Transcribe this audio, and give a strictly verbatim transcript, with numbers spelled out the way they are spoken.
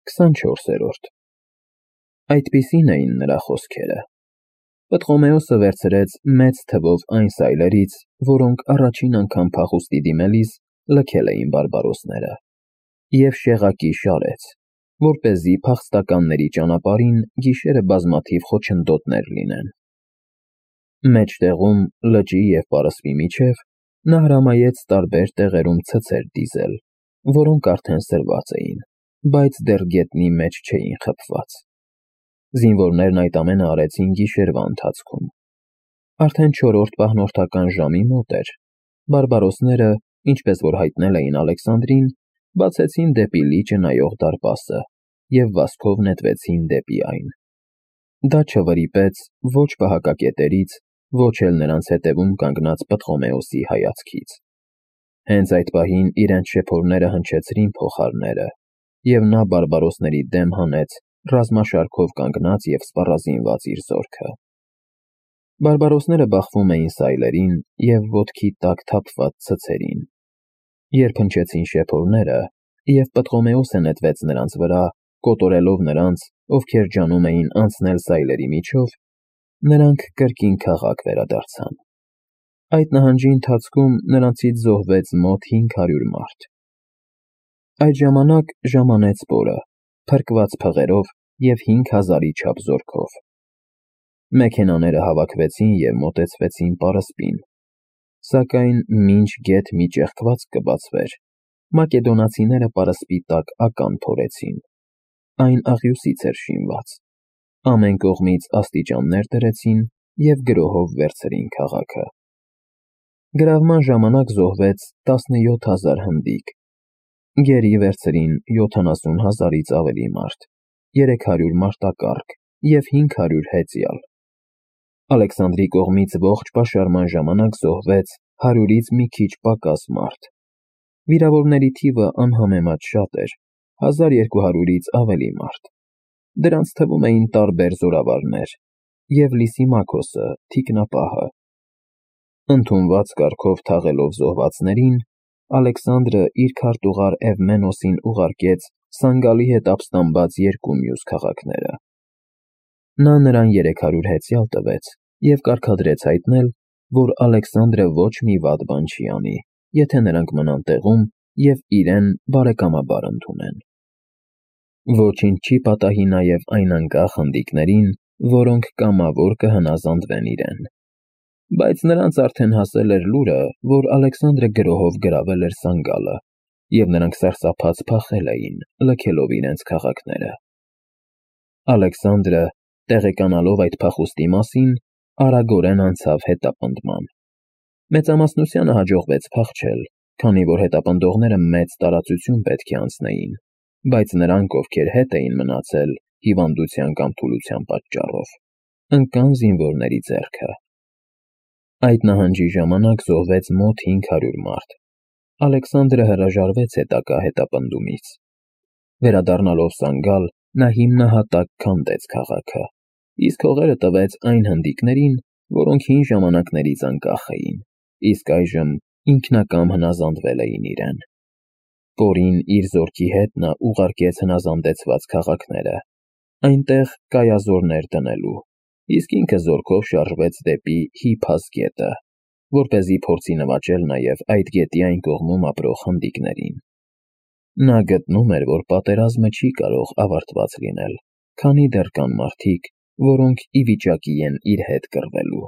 քսանչորսերորդ Այդպիսին էին նրա խոսքերը։ Պտղոմեոսը վերցրեց մեծ թվով այն սայլերից, որոնք առաջին անգամ փախուստի դիմելիս լքել էին բարբարոսները, և շեղակի շարեց, որպեսզի փախստականների ճանապարհին գիշերը բազմաթիվ խոչընդոտներ լինեն։ Մեջտեղում, լճի և պարսպի միջև, նա հրամայեց տարբեր տեղերում ցցեր դիզել, որոնք արդեն սրված էին, բայց դեռ գետնի մեջ չէին խփված։ Զինվորներն այդ ամենը արեցին գիշերվա ընթացքում։ Արդեն չորրորդ պահնորդական ժամի մոտ էր, բարբարոսները, ինչպես որ հայտնել էին Ալեքսանդրին, բացեցին դեպի լիճը նայող դարպասը և վազքով նետվեցին դեպի այն։ Դա չվրիպեց ոչ պահակակետերից, ոչ էլ նրանց հետևում կանգնած Պտղոմեոսի հայացքից։ Հենց այդ պահին իրենց շեփորները հնչեցրին փողահարները, և նա բարբարոսների դեմ հանեց ռազմաշարքով կանգնած և սպառազինված իր զորքը։ Բարբարոսները բախվում էին սայլերին և ոտքի տակ թափված ցցերին։ Երբ հնչեցին շեփորները, և Պտղոմեոսը նետվեց նրանց վրա, կոտորելով նրանց, ովքեր ջանում էին անցնել սայլերի միջով, նրանք կրկին քաղաք վերադարձան։ Այդ նահանջի ընթացքում նրանցից զոհվեց մոտ հինգ հարյուր մարդ։ Այդ ժամանակ ժամանեց պորը, փրկված փղերով և հինգ հազարի չափ զորքով։ Մեքենաները հավաքվեցին և մոտեցվեցին պարսպին, սակայն մինչ գեթ մի ճեղքվածք կբացվեր, մակեդոնացիները պարսպի տակ ական փորեցին։ Այն աղյուսից էր շինված։ Ամեն կողմից աստիճաններ դրեցին և գրոհով վերցրին քաղաքը։ Գրավման ժամանակ զոհվեց տասնյոթ հազար հնդիկ։ Գերի վերցրին յոթանասուն հազարից ավելի մարդ, երեք հարյուր մարտակառք և հինգ հարյուր հեծյալ։ Ալեքսանդրի կողմից ողջ պաշարման ժամանակ զոհվեց հարյուրից մի քիչ պակաս մարդ։ Վիրավորների թիվը անհամեմատ շատ էր, հազար երկու հարյուրից ավելի մարդ։ Դրանց թվում էին տարբեր զորավարներ և Լիսիմաքոսը, թիկնապահը։ Ընդունված կարգով թաղելով զոհվածներին, Ալեքսանդրը իր քարտուղար Էվմենոսին ուղարկեց Սանգալի հետ ապստամբած երկու մյուս քաղաքները։ Նա նրան երեք հարյուր հեծյալ տվեց և կարգադրեց հայտնել, որ Ալեքսանդրը ոչ մի վատ բան չի անի, եթե նրանք մնան տեղում և իրեն բարեկամաբար ընդունեն։ Ոչինչ չի պատահի նաև այն անկախ հնդիկներին, որոնք կամավոր կհնազանդվեն իրեն։ Բայց նրանց արդեն հասել էր լուրը, որ Ալեքսանդրը գրոհով գրավել էր Սանգալը, և նրանք սարսափած փախել էին, լքելով իրենց քաղաքները։ Ալեքսանդրը, տեղեկանալով այդ փախուստի մասին, արագորեն անցավ հետապնդման։ Մեծամասնությանը հաջողվեց փախչել, քանի որ հետապնդողները մեծ տարածություն պետք է անցնեին, բայց նրանք, ովքեր հետ էին մնացել հիվանդության կամ թուլության պատճառով, ընկան զինվորների ձեռքը։ Այդ նահանջի ժամանակ զոհվեց մոտ հինգ հարյուր մարդ։ Ալեքսանդրը հրաժարվեց հետագա հետապնդումից։ Վերադառնալով Սանգալ, նա հիմնահատակ քանդեց քաղաքը, իսկ հողերը տվեց այն հնդիկներին, որոնք հին ժամանակներից անկախ էին, իսկ այժմ ինքնակամ հնազանդվել էին իրեն։ Պորին իր զորքի հետ նա ուղարկեց հնազանդեցված քաղաքները, այնտեղ կայազորներ դնելու, իսկ ինքը զորքով շարժվեց դեպի Հիփաս գետը, որպեսզի փորձի նվաճել նաև այդ գետի այն կողմում ապրող հնդիկներին։ Նա գտնում էր, որ պատերազմը չի կարող ավարտված լինել, քանի դեռ կան մարդիկ, որոնք ի վիճակի են իր հետ կռվելու։